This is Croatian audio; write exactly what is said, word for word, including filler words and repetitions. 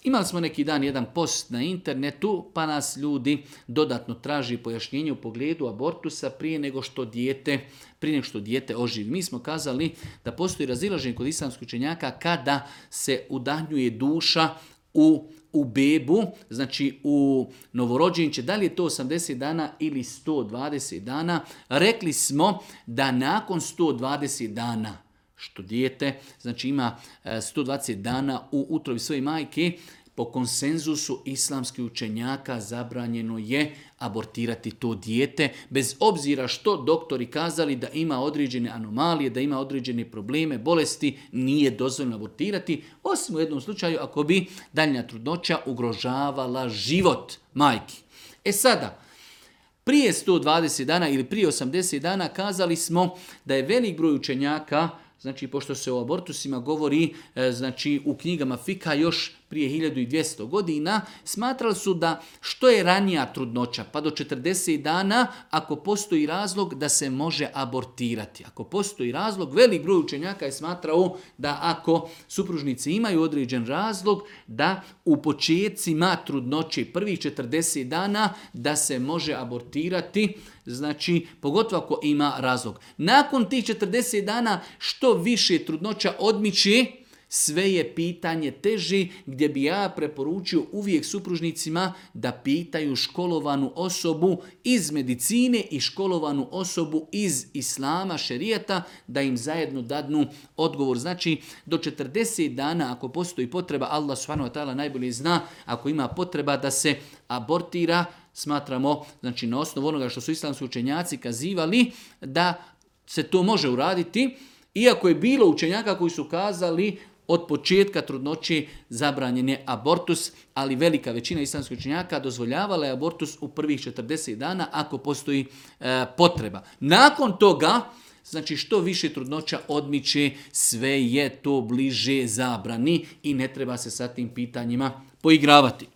Imali smo neki dan jedan post na internetu, pa nas ljudi dodatno traži pojašnjenje u pogledu abortusa prije nego što dijete, prije nego što dijete oživi. Mi smo kazali da postoji razilaženje kod islamskih učenjaka kada se udahnjuje duša u, u bebu, znači u novorođenče, da li je to osamdeset dana ili sto dvadeset dana. Rekli smo da nakon sto dvadeset dana, što dijete, znači ima sto dvadeset dana u utrobi svoje majke, po konsenzusu islamskih učenjaka zabranjeno je abortirati to dijete, bez obzira što doktori kazali da ima određene anomalije, da ima određene probleme, bolesti, nije dozvoljeno abortirati, osim u jednom slučaju ako bi daljnja trudnoća ugrožavala život majki. E sada, prije sto dvadeset dana ili prije osamdeset dana kazali smo da je velik broj učenjaka, znači pošto se o abortusima govori znači u knjigama Fika još prije hiljadu dvjesto godina, smatrali su da što je ranija trudnoća, pa do četrdeset dana, ako postoji razlog da se može abortirati. Ako postoji razlog, velik broj učenjaka je smatrao da ako supružnici imaju određen razlog, da u početcima trudnoće prvih četrdeset dana da se može abortirati, znači pogotovo ako ima razlog. Nakon tih četrdeset dana što više trudnoća odmiče, sve je pitanje teži, gdje bi ja preporučio uvijek supružnicima da pitaju školovanu osobu iz medicine i školovanu osobu iz islama, šerijata, da im zajedno dadnu odgovor. Znači, do četrdeset dana, ako postoji potreba, Allah subhanahu wa ta'ala najbolje zna, ako ima potreba da se abortira, smatramo, znači na osnovu onoga što su islamski učenjaci kazivali, da se to može uraditi, iako je bilo učenjaka koji su kazali od početka trudnoće zabranjen je abortus, ali velika većina islamskih učenjaka dozvoljavala je abortus u prvih četrdeset dana ako postoji e, potreba. Nakon toga, znači što više trudnoća odmiče, sve je to bliže zabrani i ne treba se sa tim pitanjima poigravati.